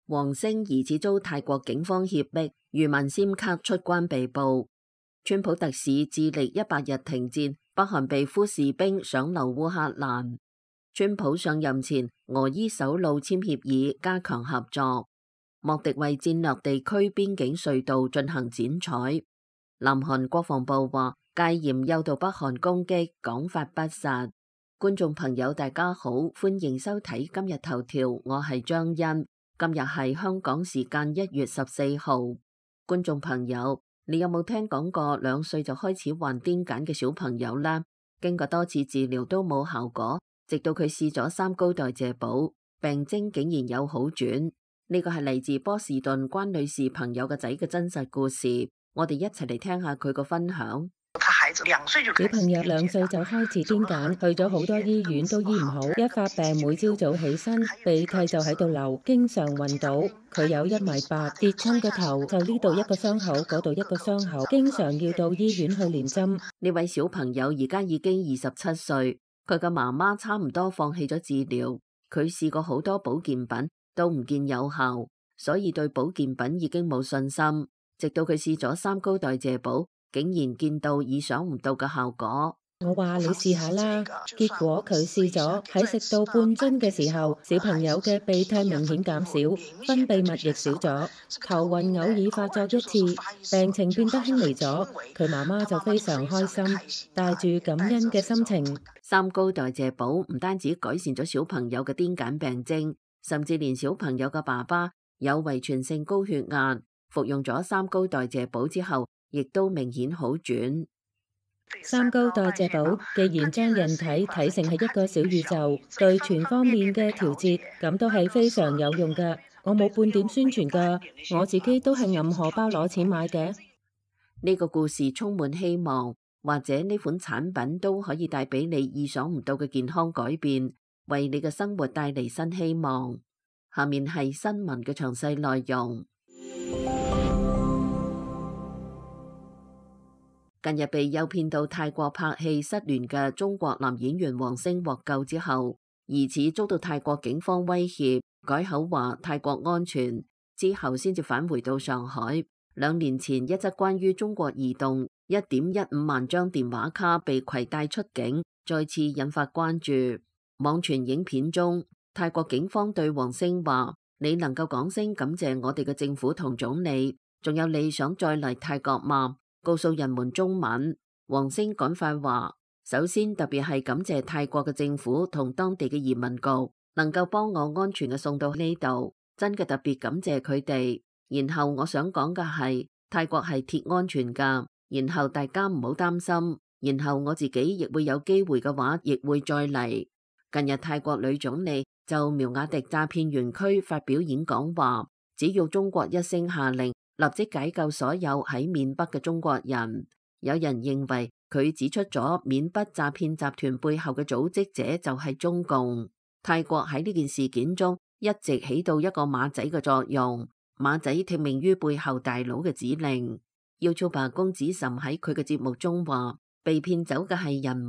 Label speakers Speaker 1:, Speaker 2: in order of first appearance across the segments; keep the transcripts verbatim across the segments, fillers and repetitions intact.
Speaker 1: 王星疑似遭泰國警方脅迫，漁民簽卡出關被捕。川普特使致力一百日停戰，北韓被俘士兵上流烏克蘭。川普上任前，俄伊首腦簽協議，加強合作。莫迪為戰略地區邊境隧道進行剪彩。南韓國防部話戒嚴誘導北韓攻擊，講法不實。觀眾朋友大家好，歡迎收睇今日頭條，我係張欣。今日係香港時間一月十四號。觀眾朋友，你有冇聽講過兩歲就開始患癲癇嘅小朋友呢？經過多次治療都冇效果，直到佢試咗三高代謝寶，病徵竟然有好轉。呢個係嚟自波士頓關女士朋友嘅仔嘅真實故事，我哋一齊嚟聽下佢個分享。
Speaker 2: 小朋友兩歲就開始癲癇，去咗好多醫院都醫唔好，一發病每朝早起身鼻涕就喺度流，經常暈倒。佢有一米八，跌親個頭就呢度一個傷口，嗰度一個傷口，經常要到醫院去連針。
Speaker 1: 呢位小朋友而家已經二十七歲，佢嘅媽媽差唔多放棄咗治療，佢試過好多保健品都唔見有效，所以對保健品已經冇信心。直到佢試咗三高代謝寶，竟然見到意想唔到嘅效果。
Speaker 2: 我話你試下啦，結果佢試咗，喺食到半樽嘅時候，小朋友嘅鼻涕明顯減少，分泌物亦少咗，頭暈偶爾發作一次，病情變得輕微咗。佢媽媽就非常開心，帶住感恩嘅心情。
Speaker 1: 三高代謝寶唔單止改善咗小朋友嘅癲癇病徵，甚至連小朋友嘅爸爸有遺傳性高血壓，服用咗三高代謝寶之後，亦都明顯好轉。
Speaker 2: 三高代謝寶既然將人體睇成係一個小宇宙，對全方面嘅調節，咁都係非常有用㗎。我冇半點宣傳㗎，我自己都係揞荷包攞錢買嘅。
Speaker 1: 呢個故事充滿希望，或者呢款產品都可以帶俾你意想唔到嘅健康改變，為你嘅生活帶嚟新希望。下面係新聞嘅詳細內容。近日被誘騙到泰國拍戲失聯嘅中國男演員王星獲救之後，疑似遭到泰國警方威脅，改口話泰國安全，之後先至返回到上海。兩年前一則關於中國移動一點一五萬張電話卡被攜帶出境，再次引發關注。網傳影片中，泰國警方對王星話：你能夠講聲感謝我哋嘅政府同總理，仲有你想再嚟泰國嗎？告訴人們中文。王星趕快話：首先特別係感謝泰國嘅政府同當地嘅移民局，能夠幫我安全嘅送到呢度，真嘅特別感謝佢哋。然後我想講嘅係泰國係鐵安全噶，然後大家唔好擔心，然後我自己亦會有機會嘅話，亦會再嚟。近日泰國女總理就苗瓦迪詐騙園區發表演講話，只要中國一聲下令，立即解救所有喺緬北嘅中國人。有人認為佢指出咗緬北詐騙集團背後嘅組織者就係中共。泰國喺呢件事件中一直起到一個馬仔嘅作用，馬仔聽命於背後大佬嘅指令。YouTuber公子岑喺佢嘅節目中話：被騙走嘅係人民，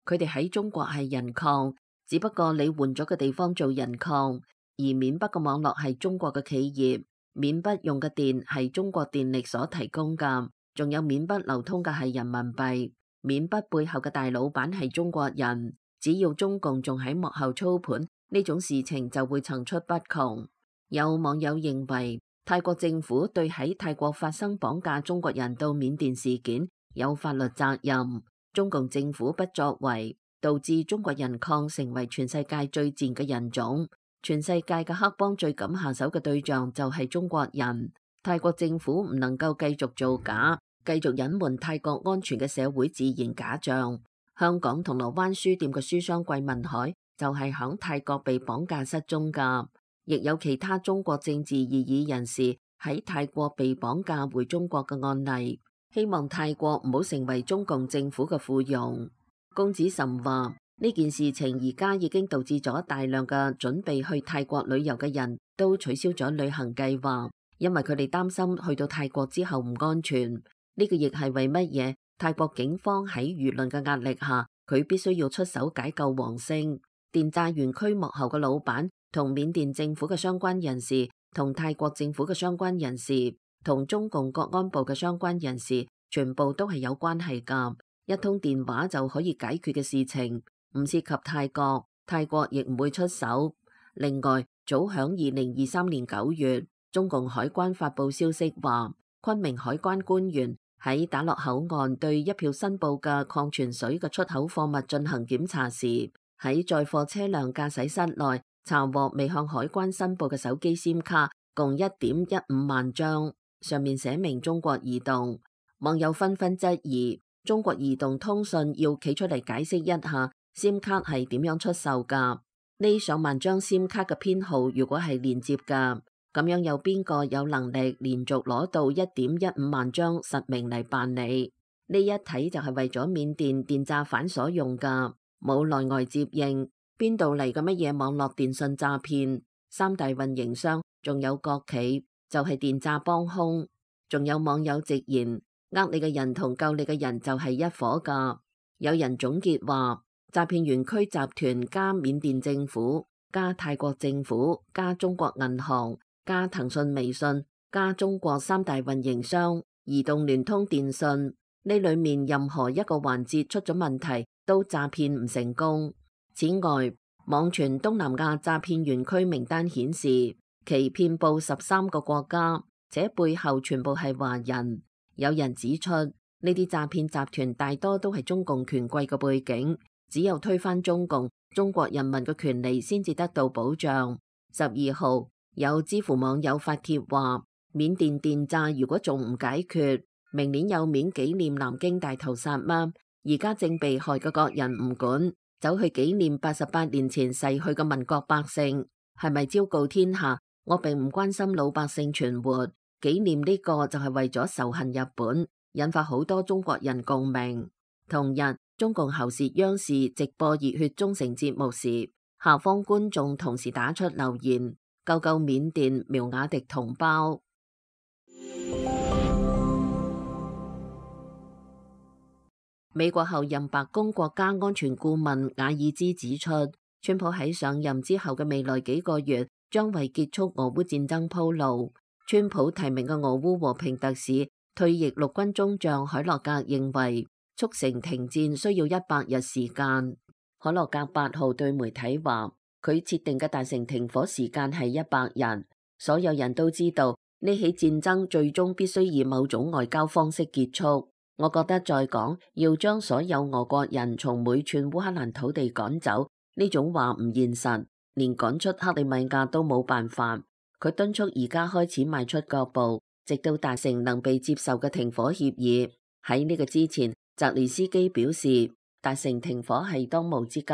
Speaker 1: 佢哋喺中國係人礦，只不過你換咗個地方做人礦，而緬北嘅網絡係中國嘅企業。緬北用嘅電係中國電力所提供噶，仲有緬北流通嘅係人民幣。緬北背後嘅大老闆係中國人，只要中共仲喺幕後操盤，呢種事情就會層出不窮。有網友認為泰國政府對喺泰國發生綁架中國人到緬甸事件有法律責任，中共政府不作為，導致中國人礦成為全世界最賤嘅人種。全世界嘅黑幫最敢下手嘅對象就係中國人。泰國政府唔能夠繼續造假，繼續隱瞞泰國安全嘅社會自然假象。香港銅鑼灣書店嘅書商桂民海就係響泰國被綁架失蹤噶，亦有其他中國政治異議人士喺泰國被綁架回中國嘅案例。希望泰國唔好成為中共政府嘅附庸。公子岑話：呢件事情而家已經導致咗大量嘅準備去泰國旅遊嘅人都取消咗旅行計劃，因為佢哋擔心去到泰國之後唔安全。呢個亦係為乜嘢泰國警方喺輿論嘅壓力下，佢必須要出手解救王星。電詐園區幕後嘅老闆同緬甸政府嘅相關人士同泰國政府嘅相關人士，同中共國安部嘅相關人士，全部都係有關係㗎。一通電話就可以解決嘅事情，唔涉及泰國，泰國亦唔會出手。另外，早響二零二三年九月，中共海關發佈消息話，昆明海關官員喺打落口岸對一票申報嘅礦泉水嘅出口貨物進行檢查時，喺載貨車輛駕駛室內查獲未向海關申報嘅手機 SIM 卡共一點一五萬張，上面寫明中國移動。網友紛紛質疑中國移動通訊要企出嚟解釋一下 SIM 卡係點樣出售㗎？呢上萬張 SIM 卡嘅編號如果係連接㗎，咁樣有邊個有能力連續攞到一點一五萬張實名嚟辦理？呢一睇就係為咗緬甸電詐犯所用㗎，冇內外接應，邊度嚟嘅乜嘢網絡電信詐騙？三大運營商仲有國企就係電詐幫兇，仲有網友直言，呃你嘅人同救你嘅人就係一伙㗎。有人總結話，詐騙園區集團加緬甸政府加泰國政府加中國銀行加騰訊微信加中國三大運營商移動聯通電信，呢裏面任何一個環節出咗問題都詐騙唔成功。此外，網傳東南亞詐騙園區名單顯示其遍佈十三個國家，且背後全部係華人。有人指出，呢啲詐騙集團大多都係中共權貴嘅背景，只有推翻中共，中國人民嘅權利先至得到保障。十二號有知乎網友發帖話，緬甸電詐如果仲唔解決，明年有面紀念南京大屠殺嗎？而家正被害嘅國人唔管，走去紀念八十八年前逝去嘅民國百姓，係咪昭告天下？我並唔關心老百姓存活，紀念呢個就係為咗仇恨日本，引發好多中國人共鳴。同日，中共喉舌央視直播熱血忠誠節目時，下方觀眾同時打出留言：救救緬甸苗瓦迪同胞。美國後任白宮國家安全顧問瓦爾茲指出，川普喺上任之後嘅未來幾個月將為結束俄烏戰爭鋪路。川普提名嘅俄烏和平特使退役陸軍中將海洛格認為，促成停戰需要一百日時間。海洛格八號對媒體話，佢設定嘅達成停火時間係一百日。所有人都知道呢起戰爭最終必須以某種外交方式結束。我覺得再講要將所有俄國人從每寸烏克蘭土地趕走，呢種話唔現實，連趕出克里米亞都冇辦法。佢敦促而家開始邁出腳步，直到達成能被接受嘅停火協議。喺呢個之前，澤連斯基表示達成停火係當務之急，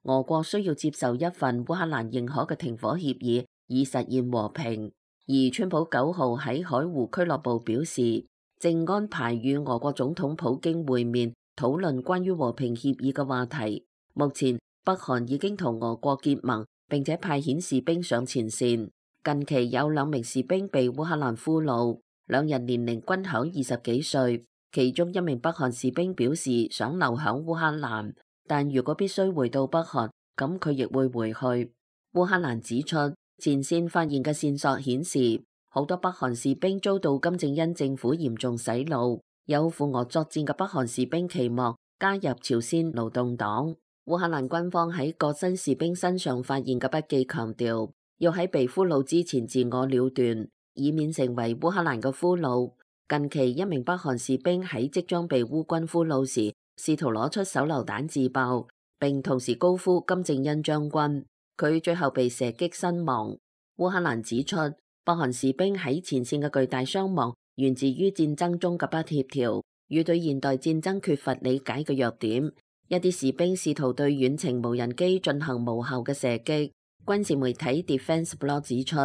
Speaker 1: 俄國需要接受一份烏克蘭認可嘅停火協議，以實現和平。而川普九號喺海湖俱樂部表示，正安排與俄國總統普京會面，討論關於和平協議嘅話題。目前，北韓已經同俄國結盟，並且派遣士兵上前線。近期有兩名士兵被烏克蘭俘虜，兩人年齡均響二十幾歲。其中一名北韓士兵表示想留響烏克蘭，但如果必須回到北韓，咁佢亦會回去。烏克蘭指出，前線發現嘅線索顯示，好多北韓士兵遭到金正恩政府嚴重洗腦。有赴俄作戰嘅北韓士兵期望加入朝鮮勞動黨。烏克蘭軍方喺各新士兵身上發現嘅筆記強調，要喺被俘虜之前自我了斷，以免成為烏克蘭嘅俘虜。近期一名北韓士兵喺即將被烏軍俘虜時，試圖攞出手榴彈自爆，並同時高呼金正恩將軍。佢最後被射擊身亡。烏克蘭指出，北韓士兵喺前線嘅巨大傷亡源自於戰爭中嘅不協調，與對現代戰爭缺乏理解嘅弱點。一啲士兵試圖對遠程無人機進行無效嘅射擊。軍事媒體 Defense Blog 指出，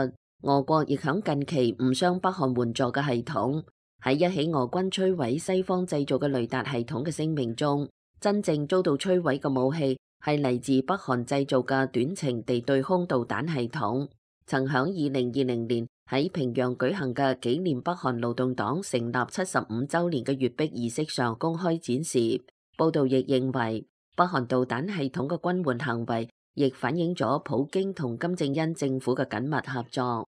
Speaker 1: 俄國亦響近期誤傷北韓援助嘅系統。喺一起俄軍摧毀西方製造嘅雷達系統嘅聲明中，真正遭到摧毀嘅武器係嚟自北韓製造嘅短程地對空導彈系統。曾響二零二零年喺平壤舉行嘅紀念北韓勞動黨成立七十五週年嘅閱兵儀式上公開展示。報道亦認為，北韓導彈系統嘅軍援行為亦反映咗普京同金正恩政府嘅緊密合作。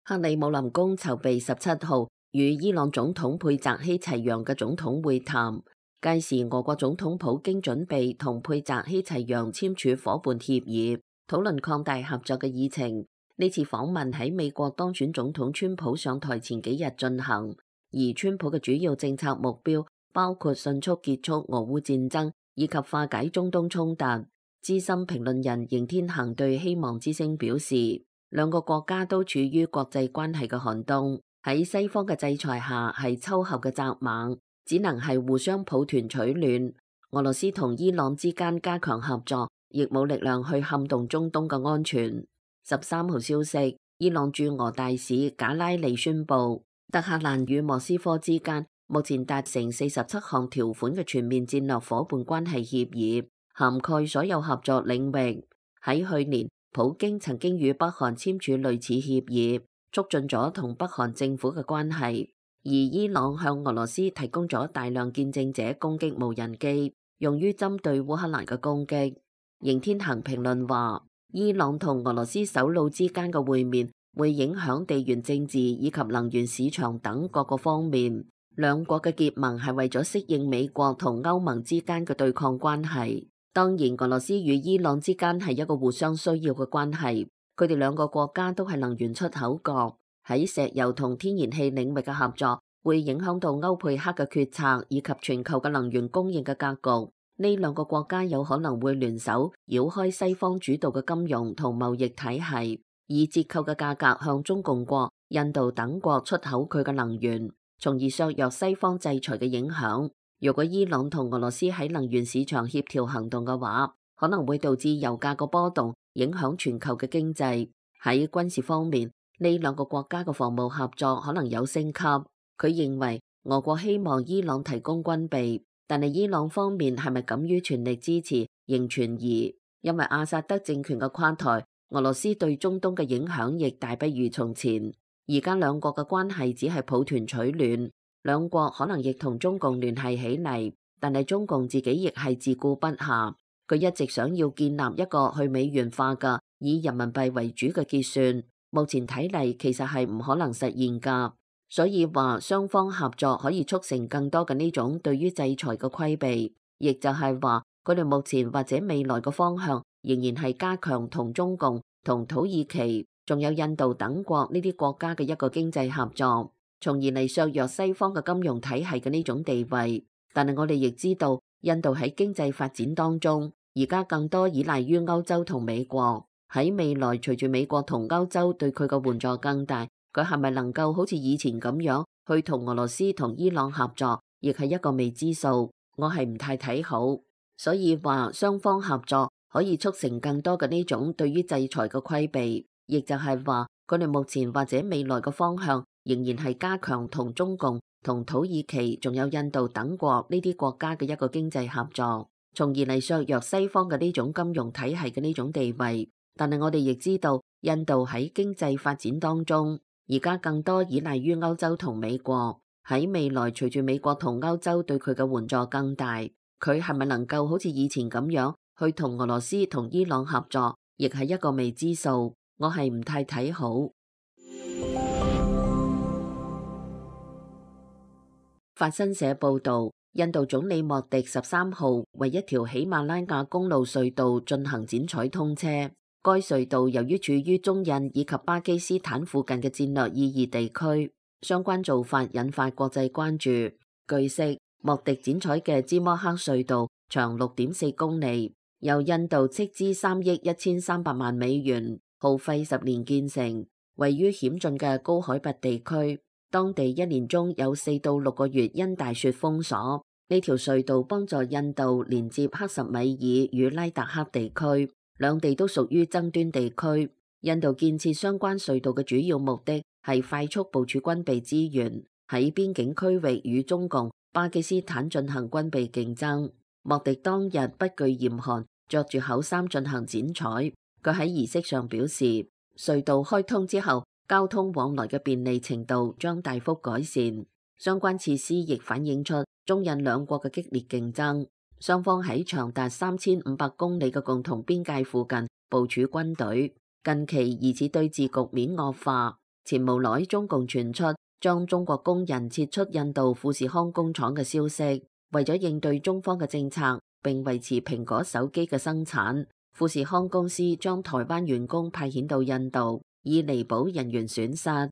Speaker 1: 克里姆林宮籌備十七號與伊朗總統佩澤希齊揚嘅總統會談，屆時俄國總統普京準備同佩澤希齊揚簽署夥伴協議，討論擴大合作嘅議程。呢次訪問喺美國當選總統川普上台前幾日進行，而川普嘅主要政策目標包括迅速結束俄烏戰爭以及化解中東衝突。資深評論人邢天行對希望之聲表示，兩個國家都處於國際關係嘅寒冬，喺西方嘅制裁下係秋後嘅蚱蜢，只能係互相抱團取暖。俄羅斯同伊朗之間加強合作，亦冇力量去撼動中東嘅安全。十三號消息，伊朗駐俄大使賈拉利宣布，德黑蘭與莫斯科之間目前達成四十七項條款嘅全面戰略夥伴關係協議，涵蓋所有合作領域。喺去年，普京曾經與北韓簽署類似協議，促進咗同北韓政府嘅關係。而伊朗向俄羅斯提供咗大量見證者攻擊無人機，用於針對烏克蘭嘅攻擊。邢天行評論話，伊朗同俄羅斯首腦之間嘅會面會影響地緣政治以及能源市場等各個方面。兩國嘅結盟係為咗適應美國同歐盟之間嘅對抗關係。當然，俄羅斯與伊朗之間係一個互相需要嘅關係，佢哋兩個國家都係能源出口國，喺石油同天然氣領域嘅合作會影響到歐佩克嘅決策以及全球嘅能源供應嘅格局。呢兩個國家有可能會聯手繞開西方主導嘅金融同貿易體系，以折扣嘅價格向中共國、印度等國出口佢嘅能源，從而削弱西方制裁嘅影響。如果伊朗同俄羅斯喺能源市場協調行動嘅話，可能會導致油價個波動，影響全球嘅經濟。喺軍事方面，呢兩個國家嘅防務合作可能有升級。佢認為俄國希望伊朗提供軍備，但係伊朗方面係咪敢於全力支持，仍存疑。因為阿薩德政權嘅垮台，俄羅斯對中東嘅影響亦大不如從前。而家兩國嘅關係只係抱團取暖。兩國可能亦同中共聯繫起嚟，但係中共自己亦係自顧不暇。佢一直想要建立一個去美元化嘅以人民幣為主嘅結算，目前睇嚟其實係唔可能實現㗎。所以話雙方合作可以促成更多嘅呢種對於制裁嘅規避，亦就係話佢哋目前或者未來嘅方向仍然係加強同中共、同土耳其、仲有印度等國呢啲國家嘅一個經濟合作，從而嚟削弱西方嘅金融體系嘅呢種地位。但係我哋亦知道，印度喺經濟發展當中，而家更多依賴於歐洲同美國。喺未來，隨住美國同歐洲對佢嘅援助更大，佢係咪能夠好似以前咁樣去同俄羅斯同伊朗合作，亦係一個未知數。我係唔太睇好，所以話雙方合作可以促成更多嘅呢種對於制裁嘅規避，亦就係話佢哋目前或者未來嘅方向仍然係加強同中共、同土耳其仲有印度等國呢啲國家嘅一個經濟合作，從而嚟削弱西方嘅呢種金融體系嘅呢種地位。但係我哋亦知道，印度喺經濟發展當中，而家更多依賴於歐洲同美國。喺未來，隨住美國同歐洲對佢嘅援助更大，佢係咪能夠好似以前咁樣去同俄羅斯同伊朗合作，亦係一個未知數。我係唔太睇好。法新社報導，印度總理莫迪十三號為一條喜馬拉雅公路隧道進行剪彩通車。該隧道由於處於中印以及巴基斯坦附近嘅戰略意義地區，相關做法引發國際關注。據悉，莫迪剪彩嘅芝摩克隧道長六點四公里，由印度斥資三億一千三百萬美元，耗費十年建成，位於險峻嘅高海拔地區。當地一年中有四到六個月因大雪封鎖。呢條隧道幫助印度連接克什米爾與拉達克地區，兩地都屬於爭端地區。印度建設相關隧道嘅主要目的係快速部署軍備資源，喺邊境區域與中共、巴基斯坦進行軍備競爭。莫迪當日不懼嚴寒，着住厚衫進行剪彩。佢喺儀式上表示，隧道開通之後，交通往來嘅便利程度將大幅改善。相關設施亦反映出中印兩國嘅激烈競爭。雙方喺長達三千五百公里嘅共同邊界附近部署軍隊。近期疑似對峙局面惡化，前無耐中共傳出將中國工人撤出印度富士康工廠嘅消息，為咗應對中方嘅政策並維持蘋果手機嘅生產，富士康公司將台灣員工派遣到印度，以彌補人員損失。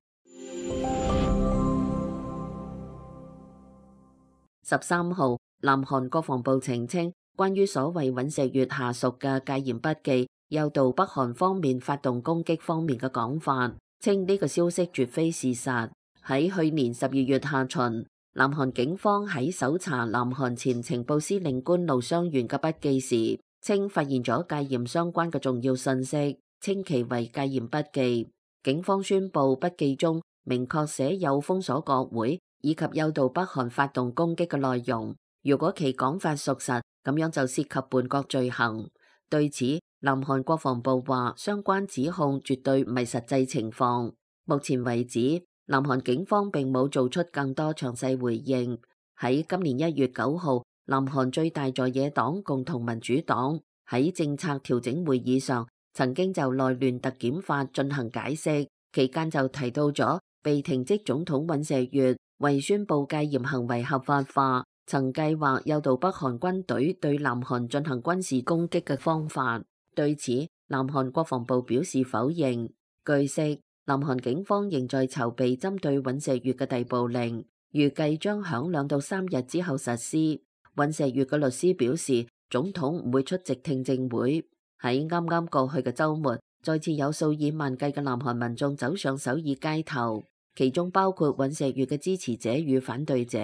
Speaker 1: 十三號，南韓國防部澄清，關於所謂尹錫悅下屬嘅戒嚴筆記誘導北韓方面發動攻擊方面嘅講法，稱呢個消息絕非事實。喺去年十二月下旬，南韓警方喺搜查南韓前情報司令官盧湘元嘅筆記時，稱發現咗戒嚴相關嘅重要信息，稱其為戒嚴筆記。警方宣布筆記中明確寫有封鎖國會以及誘導北韓發動攻擊嘅內容。如果其講法屬實，咁樣就涉及叛國罪行。對此，南韓國防部話相關指控絕對唔係實際情況。目前為止，南韓警方並冇做出更多詳細回應。喺今年一月九號，南韓最大在野黨共同民主黨喺政策調整會議上，曾經就內亂特檢法進行解釋，期間就提到咗被停職總統尹錫悅為宣布戒嚴行為合法化，曾計劃誘導北韓軍隊對南韓進行軍事攻擊嘅方法。對此，南韓國防部表示否認。據悉，南韓警方仍在籌備針對尹錫悅嘅逮捕令，預計將響兩到三日之後實施。尹錫悅嘅律師表示，總統唔會出席聽證會。喺啱啱過去嘅週末，再次有數以萬計嘅南韓民眾走上首爾街頭，其中包括尹錫悅嘅支持者與反對者，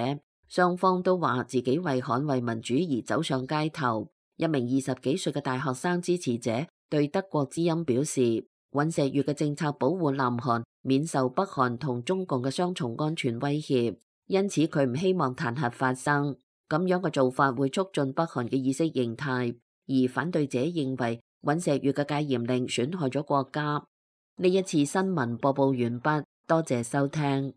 Speaker 1: 雙方都話自己為捍衛民主而走上街頭。一名二十幾歲嘅大學生支持者對德國之音表示，尹錫悅嘅政策保護南韓免受北韓同中共嘅雙重安全威脅，因此佢唔希望彈劾發生。咁樣嘅做法會促進北韓嘅意識形態，而反對者認為尹錫悅嘅戒嚴令損害咗國家。呢一次新聞播報完畢，多謝收聽。